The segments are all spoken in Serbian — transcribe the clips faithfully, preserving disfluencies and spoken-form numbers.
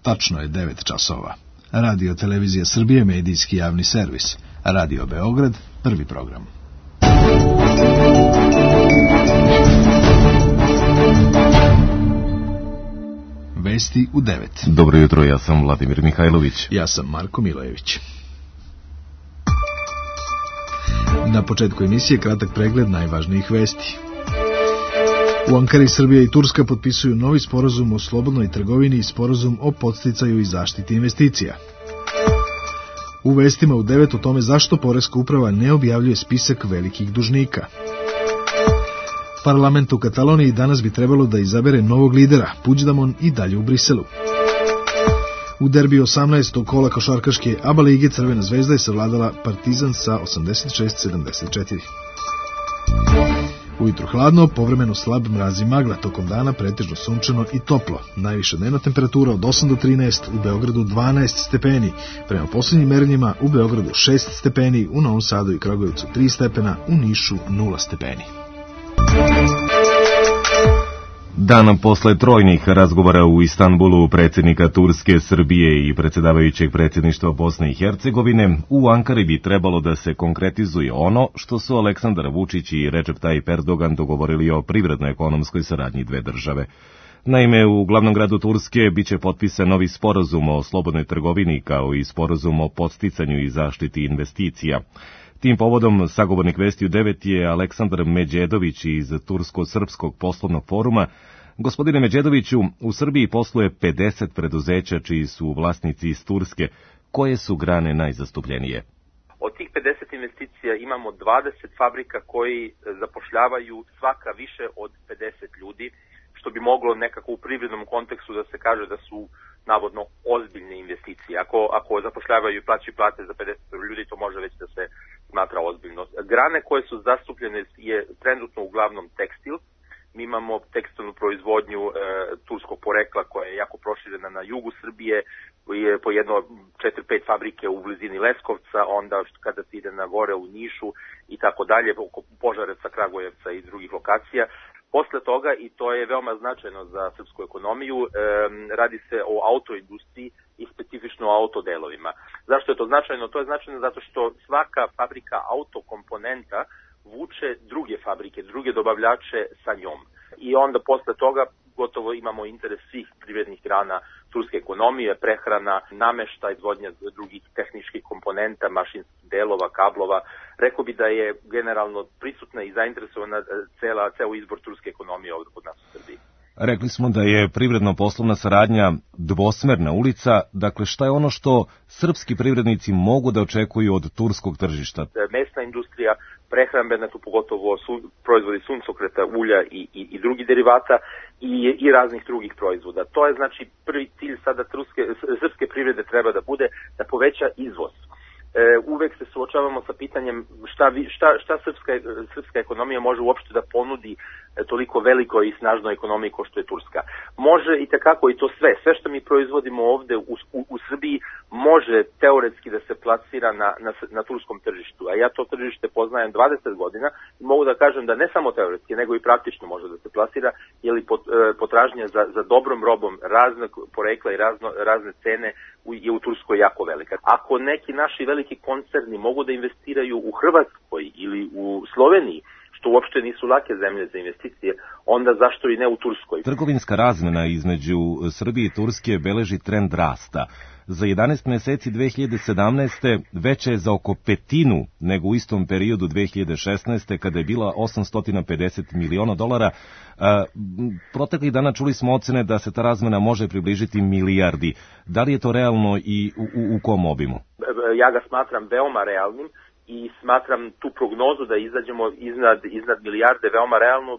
Tačno je devet časova. Radio Televizija Srbije, medijski javni servis. Radio Beograd, prvi program. Vesti u devet. Dobro jutro, ja sam Vladimir Mihajlović. Ja sam Marko Milojević. Na početku emisije kratak pregled najvažnijih vesti. U Ankari Srbija i Turska potpisuju novi sporazum o slobodnoj trgovini i sporazum o podsticaju i zaštiti investicija. U vestima u devet o tome zašto Poreska uprava ne objavljuje spisak velikih dužnika. Parlament u Kataloniji danas bi trebalo da izabere novog lidera, Puigdemont i dalje u Briselu. U derbiju osamnaestog kola košarkaške A B A lige Crvena zvezda je savladala Partizan sa osamdeset šest sedamdeset četiri. Ujutru hladno, povremeno slab mraz i magla, tokom dana pretežno sunčano i toplo. Najviša dnevna temperatura od osam do trinaest, u Beogradu dvanaest stepeni. Prema posljednjim merenjima u Beogradu šest stepeni, u Novom Sadu i Kragujevcu tri stepena, u Nišu nula stepeni. Dan posle trojnih razgovora u Istanbulu predsjednika Turske, Srbije i predsjedavajućeg predsjedništva Bosne i Hercegovine, u Ankari bi trebalo da se konkretizuje ono što su Aleksandar Vučić i Recep Tayyip Erdogan dogovorili o privredno-ekonomskoj saradnji dve države. Naime, u glavnom gradu Turske biće potpisan novi sporazum o slobodnoj trgovini kao i sporazum o podsticanju i zaštiti investicija. Tim povodom sagovornik Vesti u devet je Aleksandar Međedović iz Tursko-srpskog poslovnog foruma. Gospodine Međedoviću, u Srbiji posluje pedeset preduzeća čiji su vlasnici iz Turske. Koje su grane najzastupljenije? Od tih pedeset investicija imamo dvadeset fabrika koji zapošljavaju svaka više od pedeset ljudi, što bi moglo nekako u privrednom kontekstu da se kaže da su navodno ozbiljne investicije. Ako, ako zapošljavaju i plaćaju plate za pedeset ljudi, to može već da se smatra ozbiljno. Grane koje su zastupljene je trenutno uglavnom tekstil. Mi imamo tekstilnu proizvodnju e, turskog porekla koja je jako proširena na jugu Srbije, je po jedno četiri pet fabrike u blizini Leskovca, onda kada se ide na gore u Nišu i tako dalje, oko Požarevca, Kragujevca i drugih lokacija. Posle toga, i to je veoma značajno za srpsku ekonomiju, e, radi se o autoindustriji i specifično o autodelovima. Zašto je to značajno? To je značajno zato što svaka fabrika autokomponenta vuče druge fabrike, druge dobavljače sa njom. I onda posle toga gotovo imamo interes svih privrednih grana turske ekonomije, prehrana, nameštaj, izvodnja drugih tehničkih komponenta, mašinskih delova, kablova. Rekao bi da je generalno prisutna i zainteresovana cela, ceo izbor turske ekonomije ovdje kod nas u Srbiji. Rekli smo da je privredno-poslovna saradnja dvosmerna ulica. Dakle, šta je ono što srpski privrednici mogu da očekuju od turskog tržišta? Mesna industrija, prehrambena, tu pogotovo su, proizvodi suncokreta, ulja i, i, i drugi derivata i, i raznih drugih proizvoda. To je znači prvi cilj sada turske, srpske privrede treba da bude da poveća izvoz. E, uvek se suočavamo sa pitanjem šta, šta, šta srpska, srpska ekonomija može uopšte da ponudi e, toliko velikoj i snažnoj ekonomiji kao što je Turska. Može i tekako i to sve. Sve što mi proizvodimo ovde u, u, u Srbiji može teoretski da se plasira na, na, na turskom tržištu. A ja to tržište poznajem dvadeset godina i mogu da kažem da ne samo teoretski, nego i praktično može da se plasira, jer pot, e, potražnja za, za dobrom robom raznog porekla i razno, razne cene u, je u Turskoj jako velika. Ako neki naši veliki koncerni mogu da investiraju u Hrvatskoj ili u Sloveniji, što uopšte nisu lake zemlje za investicije, onda zašto i ne u Turskoj? Trgovinska razmena između Srbije i Turske beleži trend rasta. Za jedanaest meseci dve hiljade sedamnaeste. veća je za oko petinu nego u istom periodu dve hiljade šesnaeste. kada je bila osamsto pedeset miliona dolara. Proteklih dana čuli smo ocene da se ta razmena može približiti milijardi. Da li je to realno i u, u, u kom obimu? Ja ga smatram veoma realnim i smatram tu prognozu da izađemo iznad, iznad milijarde veoma realno.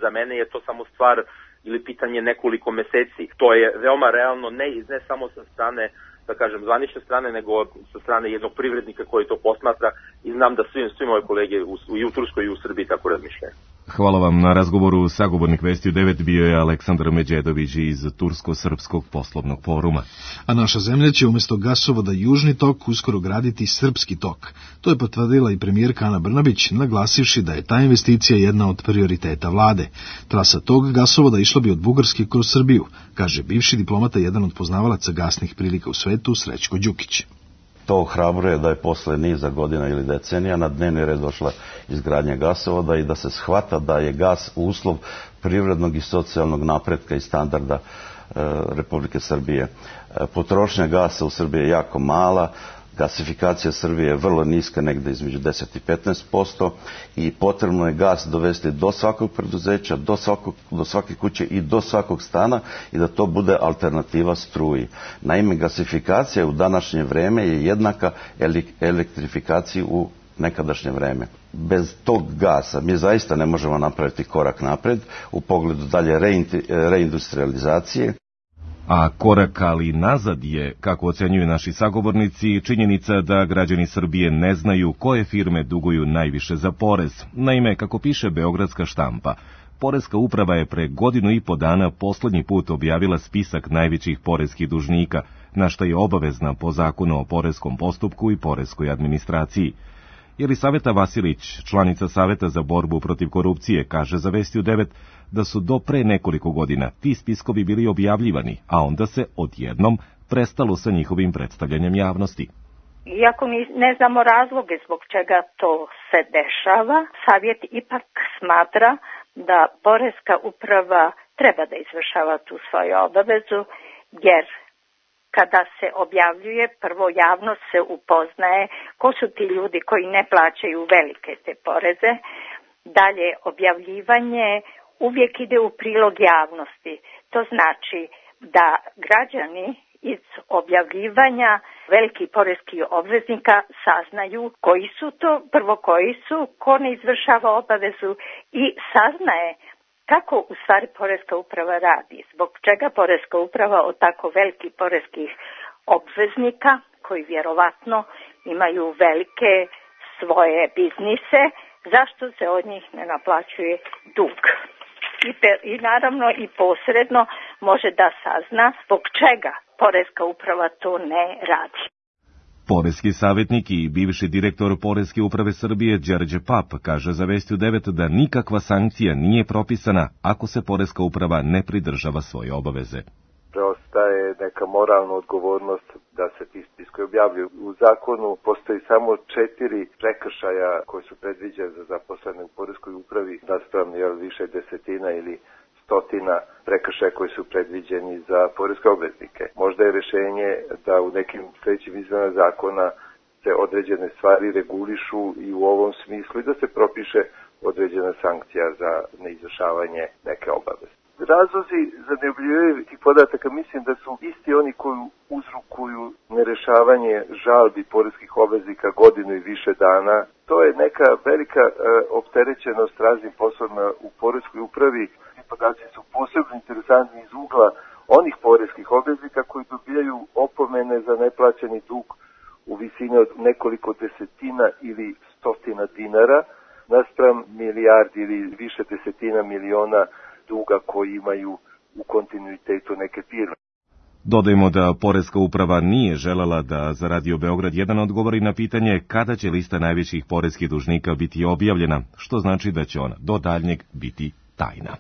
Za mene je to samo stvar ili pitanje nekoliko meseci. To je veoma realno, ne, ne samo sa strane, da kažem, zvanične strane, nego sa strane jednog privrednika koji to posmatra i znam da svi, svi moje kolege u, i u Turskoj i u Srbiji tako razmišljaju. Hvala vam na razgovoru. Sagovornik Vesti u devet bio je Aleksandar Međedović iz Tursko-srpskog poslovnog foruma. A naša zemlja će umjesto gasovoda Južni tok uskoro graditi Srpski tok. To je potvrdila i premijerka Ana Brnabić, naglasivši da je ta investicija jedna od prioriteta vlade. Trasa tog gasovoda išla bi od Bugarske kroz Srbiju, kaže bivši diplomata, jedan od poznavalaca gasnih prilika u svetu, Srećko Đukić. To ohrabruje da je posle niza godina ili decenija na dnevni red došla izgradnja gasovoda i da se shvata da je gas uslov privrednog i socijalnog napretka i standarda e, Republike Srbije. E, potrošnja gasa u Srbiji je jako mala, gasifikacija Srbije je vrlo niska, negde između deset i petnaest posto i potrebno je gas dovesti do svakog preduzeća, do, svakog, do svake kuće i do svakog stana i da to bude alternativa struji. Naime, gasifikacija u današnje vreme je jednaka elektrifikaciji u nekadašnje vreme. Bez tog gasa mi zaista ne možemo napraviti korak napred u pogledu dalje reindustrializacije. A korak ali nazad je, kako ocenjuju naši sagovornici, činjenica da građani Srbije ne znaju koje firme duguju najviše za porez. Naime, kako piše beogradska štampa, Poreska uprava je pre godinu i po dana poslednji put objavila spisak najvećih poreskih dužnika, na što je obavezna po zakonu o poreskom postupku i poreskoj administraciji. Jelisaveta Vasilić, članica Saveta za borbu protiv korupcije, kaže za Vesti u devet da su do pre nekoliko godina ti spiskovi bili objavljivani, a onda se odjednom prestalo sa njihovim predstavljanjem javnosti. Iako ne znamo razloge zbog čega to se dešava, Savjet ipak smatra da Poreska uprava treba da izvršava tu svoju obavezu, jer kada se objavljuje, prvo javnost se upoznaje ko su ti ljudi koji ne plaćaju velike te poreze. Dalje, objavljivanje uvijek ide u prilog javnosti. To znači da građani iz objavljivanja velikih poreskih obveznika saznaju koji su to, prvo koji su, ko ne izvršava obavezu i saznaje kako u stvari Poreska uprava radi, zbog čega Poreska uprava od tako velikih poreskih obveznika, koji vjerovatno imaju velike svoje biznise, zašto se od njih ne naplaćuje dug. I, pe, i naravno i posredno može da sazna zbog čega Poreska uprava to ne radi. Poreski savjetnik i bivši direktor Poreske uprave Srbije Đerđe Pap kaže za Vesti u devet da nikakva sankcija nije propisana ako se Poreska uprava ne pridržava svoje obaveze. Preostaje neka moralna odgovornost da se ti spiskovi objavljuju. U zakonu postoji samo četiri prekršaja koji su predviđeni za zaposlene u Poreskoj upravi, naspram više desetina ili stotina prekršaja koji su predviđeni za poreske obveznike. Možda je rješenje da u nekim sljedećim izmenama zakona se određene stvari regulišu i u ovom smislu i da se propiše određena sankcija za neizvršavanje neke obaveze. Razlozi za neobjavljivanje tih podataka mislim da su isti oni koji uzrokuju nerešavanje žalbi poreskih obveznika godinu i više dana. To je neka velika e, opterećenost raznim poslovima u poreskoj upravi. Podaci su posebno interesantni iz ugla onih poreskih obveznika koji dobijaju opomene za neplaćeni dug u visini od nekoliko desetina ili stotina dinara, naspram milijardi ili više desetina miliona duga koji imaju u kontinuitetu neke firme. Dodajmo da Poreska uprava nije želela da za Radio Beograd jedan odgovori na pitanje kada će lista najvećih poreskih dužnika biti objavljena, što znači da će ona do daljnjeg biti tajna.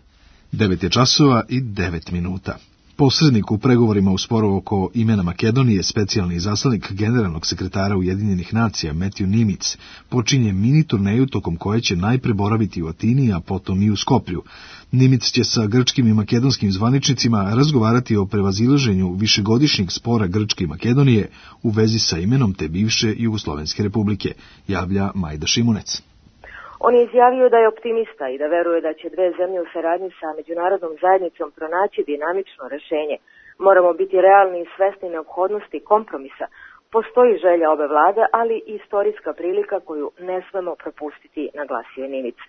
devet je časova i devet minuta. Posrednik u pregovorima u sporu oko imena Makedonije, specijalni izaslanik generalnog sekretara Ujedinjenih nacija Matthew Nimitz, počinje mini turneju tokom koje će najpre boraviti u Atini, a potom i u Skoplju. Nimitz će sa grčkim i makedonskim zvaničnicima razgovarati o prevazilaženju višegodišnjeg spora Grčke i Makedonije u vezi sa imenom te bivše Jugoslovenske republike, javlja Majda Šimunec. On je izjavio da je optimista i da veruje da će dve zemlje u saradnji sa međunarodnom zajednicom pronaći dinamično rešenje. Moramo biti realni i svesni neophodnosti kompromisa. Postoji želja obe vlade, ali i istorijska prilika koju ne smemo propustiti, naglasio je Nimitz.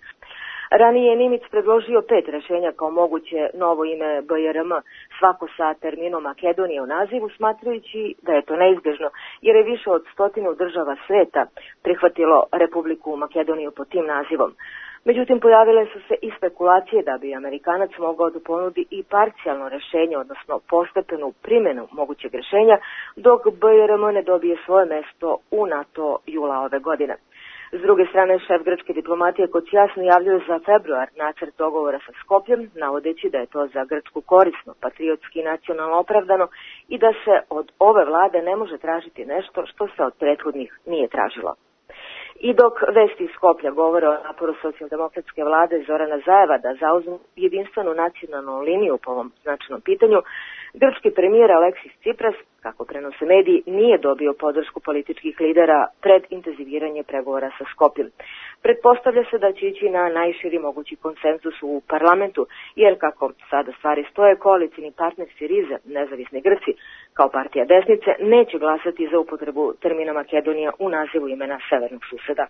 Ranije je Nimitz predložio pet rešenja kao moguće novo ime B R M, svako sa terminom Makedonije u nazivu, smatrajući da je to neizbježno, jer je više od stotinu država sveta prihvatilo Republiku Makedoniju pod tim nazivom. Međutim, pojavile su se i spekulacije da bi Amerikanac mogao da ponudi i parcijalno rešenje, odnosno postepenu primjenu mogućeg rešenja, dok B R M ne dobije svoje mesto u NATO jula ove godine. S druge strane, šef grčke diplomatije Kocias najavljuje za februar nacrt dogovora sa Skopljem, navodeći da je to za Grčku korisno, patriotski i nacionalno opravdano i da se od ove vlade ne može tražiti nešto što se od prethodnih nije tražilo. I dok vesti iz Skoplja govore o naporu socijaldemokratske vlade Zorana Zajeva da zauzmu jedinstvenu nacionalnu liniju po ovom značajnom pitanju, grčki premijer Aleksis Tsipras, kako prenose mediji, nije dobio podršku političkih lidera pred intenziviranje pregovora sa Skopljem. Pretpostavlja se da će ići na najširi mogući konsenzus u parlamentu, jer kako sada stvari stoje, koalicijni partner Siriza, nezavisni Grci, kao partija desnice, neće glasati za upotrebu termina Makedonija u nazivu imena severnog suseda.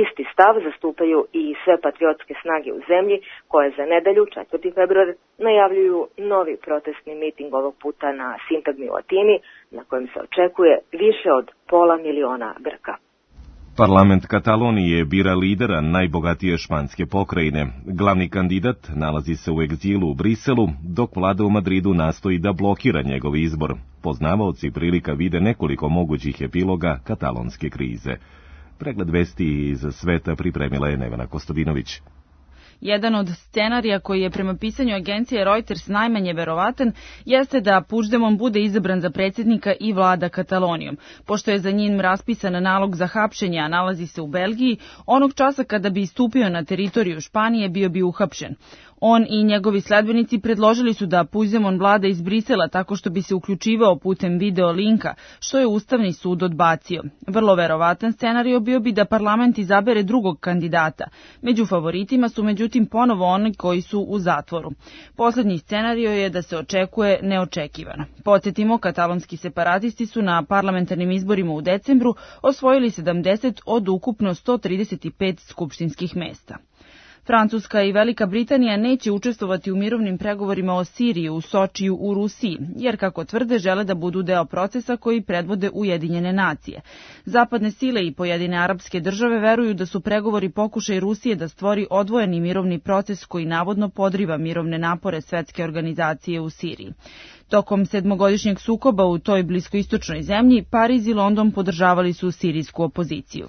Isti stav zastupaju i sve patriotske snage u zemlji, koje za nedelju, četvrti februar, najavljuju novi protestni miting ovog puta na sintagmi u Atini, na kojem se očekuje više od pola miliona Grka. Parlament Katalonije bira lidera najbogatije španske pokrajine. Glavni kandidat nalazi se u egzilu u Briselu, dok vlada u Madridu nastoji da blokira njegov izbor. Poznavaoci prilika vide nekoliko mogućih epiloga katalonske krize. Pregled vesti iz sveta pripremila je Nevena Kostadinović. Jedan od scenarija koji je prema pisanju agencije Reuters najmanje verovatan jeste da Puigdemont bude izabran za predsjednika i vlada Katalonijom. Pošto je za njim raspisan nalog za hapšenje, a nalazi se u Belgiji, onog časa kada bi istupio na teritoriju Španije bio bi uhapšen. On i njegovi sledbenici predložili su da Puigdemont vlada iz Brisela tako što bi se uključivao putem video linka, što je Ustavni sud odbacio. Vrlo verovatan scenario bio bi da parlament izabere drugog kandidata. Među favoritima su međutim ponovo oni koji su u zatvoru. Posljednji scenario je da se očekuje neočekivano. Podsjetimo, katalonski separatisti su na parlamentarnim izborima u decembru osvojili sedamdeset od ukupno sto trideset pet skupštinskih mesta. Francuska i Velika Britanija neće učestvovati u mirovnim pregovorima o Siriji u Sočiju u Rusiji, jer kako tvrde žele da budu deo procesa koji predvode Ujedinjene nacije. Zapadne sile i pojedine arapske države veruju da su pregovori pokušaj Rusije da stvori odvojeni mirovni proces koji navodno podriva mirovne napore svetske organizacije u Siriji. Tokom sedmogodišnjeg sukoba u toj bliskoistočnoj zemlji, Pariz i London podržavali su sirijsku opoziciju.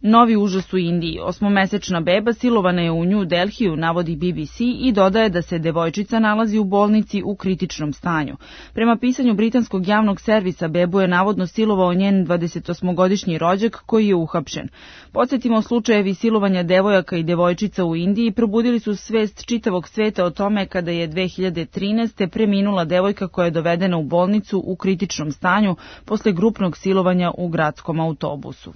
Novi užas u Indiji. Osmomesečna beba silovana je u New Delhiju, navodi B B C i dodaje da se devojčica nalazi u bolnici u kritičnom stanju. Prema pisanju britanskog javnog servisa, bebu je navodno silovao njen dvadesetosmogodišnji rođak koji je uhapšen. Podsjetimo, slučajevi silovanja devojaka i devojčica u Indiji probudili su svest čitavog sveta o tome kada je dve hiljade trinaeste. preminula devojka koja je dovedena u bolnicu u kritičnom stanju posle grupnog silovanja u gradskom autobusu.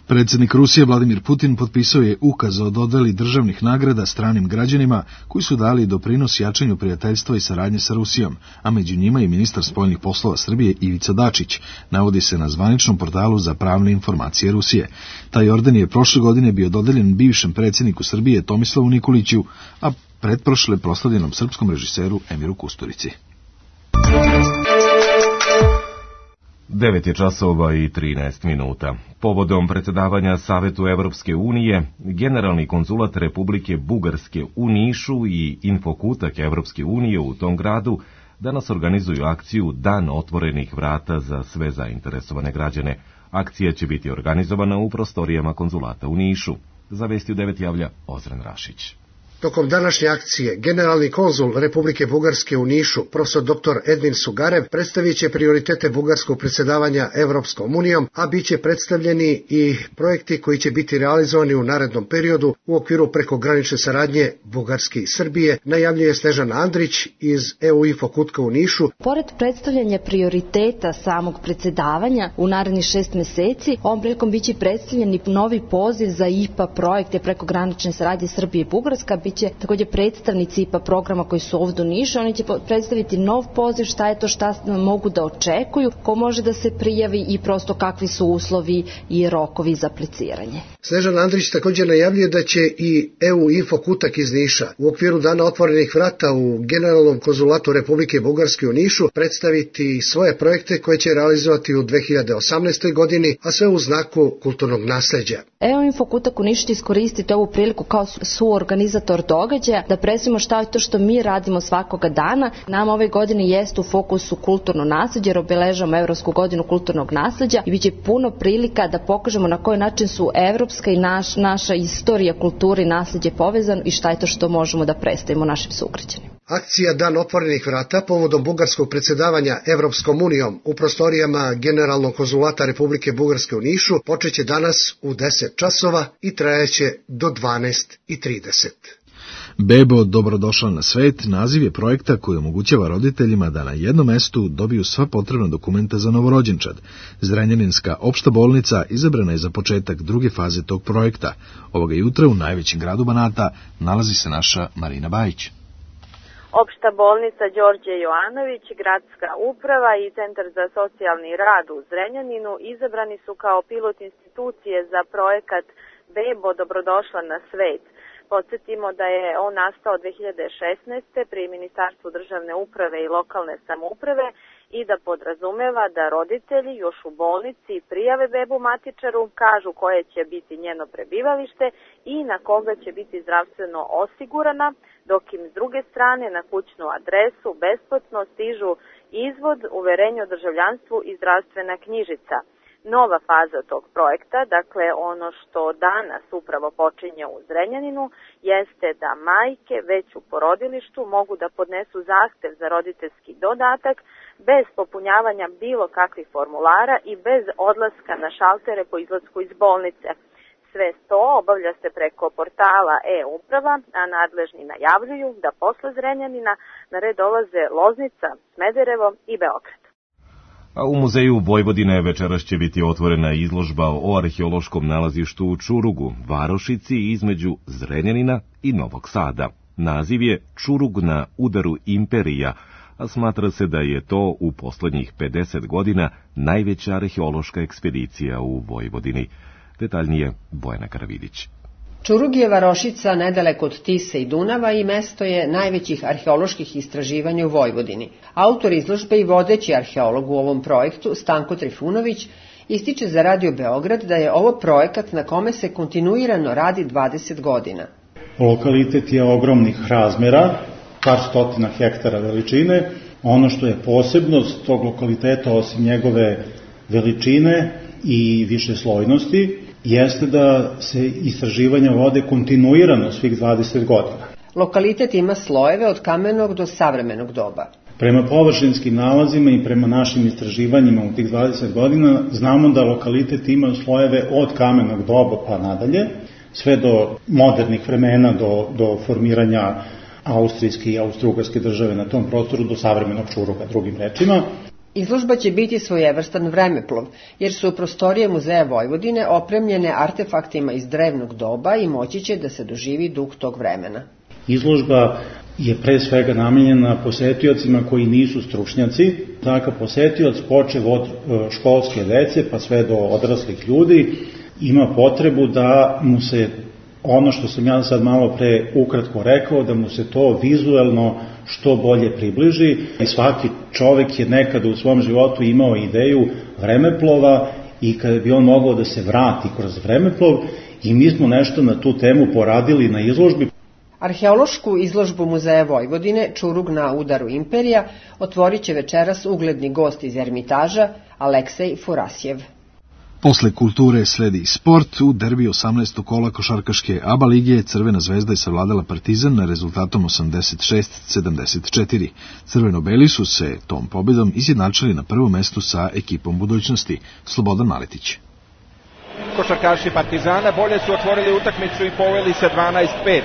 Predsjednik Rusije Vladimir Putin potpisao je ukaz o dodeli državnih nagrada stranim građanima koji su dali doprinos jačanju prijateljstva i saradnje sa Rusijom, a među njima i ministar spoljnih poslova Srbije Ivica Dačić, navodi se na zvaničnom portalu za pravne informacije Rusije. Taj orden je prošle godine bio dodeljen bivšem predsjedniku Srbije Tomislavu Nikoliću, a pretprošle proslavljenom srpskom režiseru Emiru Kusturici. devet je časova i trinaest minuta. Povodom predsjedavanja Savetu Evropske unije, Generalni konzulat Republike Bugarske u Nišu i Infokutak Evropske unije u tom gradu danas organizuju akciju Dan otvorenih vrata za sve zainteresovane građane. Akcija će biti organizovana u prostorijama konzulata u Nišu. Za vesti u devet javlja Ozren Rašić. Tokom današnje akcije, generalni konzul Republike Bugarske u Nišu, profesor doktor Edvin Sugarev, predstavit će prioritete bugarskog predsjedavanja Evropskom unijom, a bit će predstavljeni i projekti koji će biti realizovani u narednom periodu u okviru prekogranične saradnje Bugarske i Srbije, najavljuje Snežana Andrić iz E U Infokutka u Nišu. Pored predstavljanja prioriteta samog predsjedavanja u narednih šest meseci, ovom prilikom biće predstavljeni novi poziv za I P A projekte prekogranične saradnje Srbije i Bugarska, će također predstavnici I P A programa koji su ovdje u Nišu, oni će predstaviti nov poziv, šta je to, šta mogu da očekuju, ko može da se prijavi i prosto kakvi su uslovi i rokovi za apliciranje. Snežana Andrić također najavljuje da će i E U Info Kutak iz Niša u okviru Dana otvorenih vrata u Generalnom konzulatu Republike Bugarske u Nišu predstaviti svoje projekte koje će realizovati u dve hiljade osamnaestoj godini, a sve u znaku kulturnog nasleđa. E U Info Kutak u Nišu će iskoristiti ovu priliku kao suorganizator događaja da predstavimo šta je to što mi radimo svakoga dana. Nama ove godine jeste u fokusu kulturno nasleđe jer obeležavamo Evropsku godinu kulturnog nasleđa i bit će puno prilika da pokažemo na koji način su evropska i naš, naša istorija, kultura i nasleđe povezano i šta je to što možemo da predstavimo našim sugrađanima. Akcija Dan otvorenih vrata povodom bugarskog predsjedavanja Evropskom unijom u prostorijama Generalnog konzulata Republike Bugarske u Nišu počeće danas u deset časova i trajaće do dvanaest i trideset. Bebo, dobrodošla na svet, naziv je projekta koji omogućava roditeljima da na jednom mestu dobiju sva potrebna dokumenta za novorođenčad. Zrenjaninska opšta bolnica izabrana je za početak druge faze tog projekta. Ovoga jutra u najvećem gradu Banata nalazi se naša Marina Bajić. Opšta bolnica Đorđe Jovanović, gradska uprava i Centar za socijalni rad u Zrenjaninu izabrani su kao pilot institucije za projekat Bebo, dobrodošla na svet. Podsjetimo da je on nastao dve hiljade šesnaeste. pri Ministarstvu državne uprave i lokalne samouprave i da podrazumeva da roditelji još u bolnici prijave bebu matičaru, kažu koje će biti njeno prebivalište i na koga će biti zdravstveno osigurana, dok im s druge strane na kućnu adresu besplatno stižu izvod, uverenje o državljanstvu i zdravstvena knjižica. Nova faza tog projekta, dakle ono što danas upravo počinje u Zrenjaninu, jeste da majke već u porodilištu mogu da podnesu zahtev za roditeljski dodatak bez popunjavanja bilo kakvih formulara i bez odlaska na šaltere po izlasku iz bolnice. Sve to obavlja se preko portala e-uprava, a nadležni najavljuju da posle Zrenjanina na red dolaze Loznica, Smederevo i Beograd. A u Muzeju Vojvodine večeras će biti otvorena izložba o arheološkom nalazištu u Čurugu, varošici između Zrenjanina i Novog Sada. Naziv je Čurug na udaru imperija, a smatra se da je to u poslednjih pedeset godina najveća arheološka ekspedicija u Vojvodini. Detaljnije Bojana Karavidić. Čurug je varošica nedaleko od Tise i Dunava i mesto je najvećih arheoloških istraživanja u Vojvodini. Autor izložbe i vodeći arheolog u ovom projektu, Stanko Trifunović, ističe za Radio Beograd da je ovo projekat na kome se kontinuirano radi dvadeset godina. Lokalitet je ogromnih razmera, par stotina hektara veličine. Ono što je posebnost tog lokaliteta, osim njegove veličine i višeslojnosti, jeste da se istraživanja vode kontinuirano svih dvadeset godina. Lokalitet ima slojeve od kamenog do savremenog doba. Prema površinskim nalazima i prema našim istraživanjima u tih dvadeset godina znamo da lokalitet ima slojeve od kamenog doba pa nadalje, sve do modernih vremena, do, do formiranja austrijske i austrougarske države na tom prostoru, do savremenog Čuruga, drugim rečima. Izložba će biti svojevrstan vremeplov, jer su prostorije Muzeja Vojvodine opremljene artefaktima iz drevnog doba i moći će da se doživi duh tog vremena. Izložba je pre svega namenjena posetiocima koji nisu stručnjaci. Takav posetioc, počev od školske dece pa sve do odraslih ljudi, ima potrebu da mu se ono što sam ja sad malo pre ukratko rekao, da mu se to vizuelno što bolje približi. I svaki čovek je nekada u svom životu imao ideju vremeplova i kada bi on mogao da se vrati kroz vremeplov, i mi smo nešto na tu temu poradili na izložbi. Arheološku izložbu Muzeja Vojvodine Čurug na udaru imperija otvorit će večeras ugledni gost iz Ermitaža Aleksej Furasjev. Posle kulture sledi sport. U derbi osamnaestog kola košarkaške A B A lige Crvena zvezda je savladala Partizan na rezultatom osamdeset šest sedamdeset četiri. Crveno-beli su se tom pobedom izjednačili na prvom mestu sa ekipom budućnosti. Slobodan Maletić. Košarkaši Partizana bolje su otvorili utakmicu i poveli sa dvanaest pet.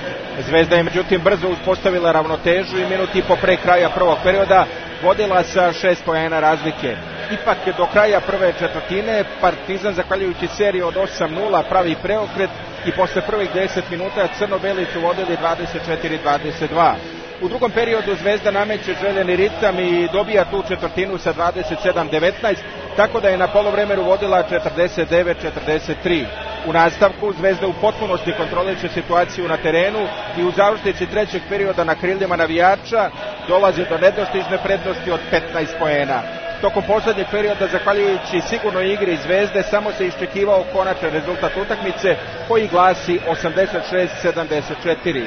Zvezda je međutim brzo uspostavila ravnotežu i minut i po pre kraja prvog perioda vodila sa šest poena razlike. Ipak do kraja prve četvrtine Partizan, zahvaljujući seriju od osam nula, pravi preokret i posle prvih deset minuta crno-beli su vodili dvadeset četiri dvadeset dva. U drugom periodu Zvezda nameće željeni ritam i dobija tu četvrtinu sa dvadeset sedam devetnaest, tako da je na poluvremenu vodila četrdeset devet četrdeset tri. U nastavku Zvezda u potpunosti kontroliše situaciju na terenu i u završnici trećeg perioda na krilima navijača dolazi do nedostižne prednosti od petnaest poena. Tokom poslednjeg perioda, zahvaljujući sigurnoj igri Zvezde, samo se iščekivao konačan rezultat utakmice koji glasi osamdeset šest sedamdeset četiri.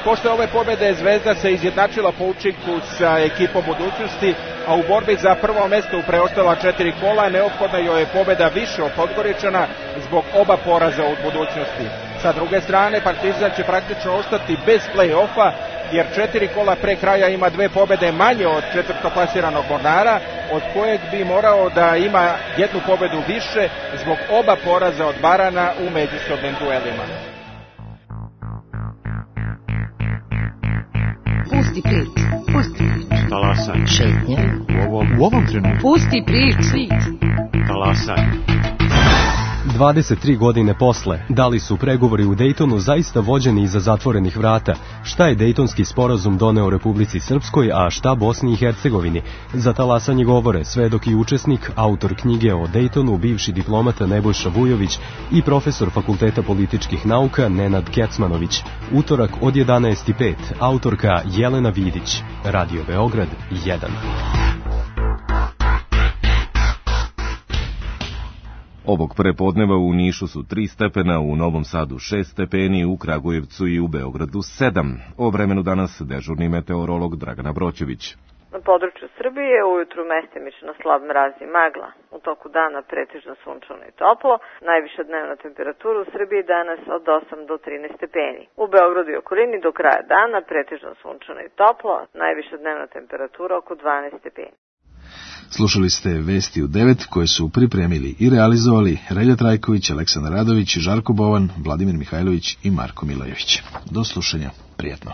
Posle ove pobede Zvezda se izjednačila po učinku sa ekipom budućnosti, a u borbi za prvo mesto u preostala četiri kola neophodna joj je pobeda više od Podgoričana zbog oba poraza od budućnosti. Sa druge strane, Partizan će praktično ostati bez play-offa, jer četiri kola pre kraja ima dve pobede manje od četvrtoplasiranog Mornara, od kojeg bi morao da ima jednu pobedu više zbog oba poraza od Barana u međusobnim duelima. Pusti prič, pusti prič. Talasaj. Šetnje. U ovom, u ovom trenutku. Pusti prič. Talasaj. dvadeset tri godine posle, da li su pregovori u Dejtonu zaista vođeni iza zatvorenih vrata? Šta je Dejtonski sporazum doneo Republici Srpskoj, a šta Bosni i Hercegovini? Za talasanje govore svedok i učesnik, autor knjige o Dejtonu, bivši diplomata Nebojša Vujović i profesor Fakulteta političkih nauka Nenad Kecmanović. Utorak od jedanaest i pet, autorka Jelena Vidić. Radio Beograd jedan. Ovog prepodneva u Nišu su tri stepena, u Novom Sadu šest stepeni, u Kragujevcu i u Beogradu sedam. O vremenu danas dežurni meteorolog Dragana Broćević. Na području Srbije ujutru mestimično slab mraz i magla. U toku dana pretežno sunčano i toplo. Najviša dnevna temperatura u Srbiji danas od osam do trinaest stepeni. U Beogradu i okolini do kraja dana pretežno sunčano i toplo. Najviša dnevna temperatura oko dvanaest stepeni. Slušali ste Vesti u devet koje su pripremili i realizovali Relja Trajković, Aleksandar Radović, Žarko Bovan, Vladimir Mihajlović i Marko Milojević. Do slušanja. Prijatno.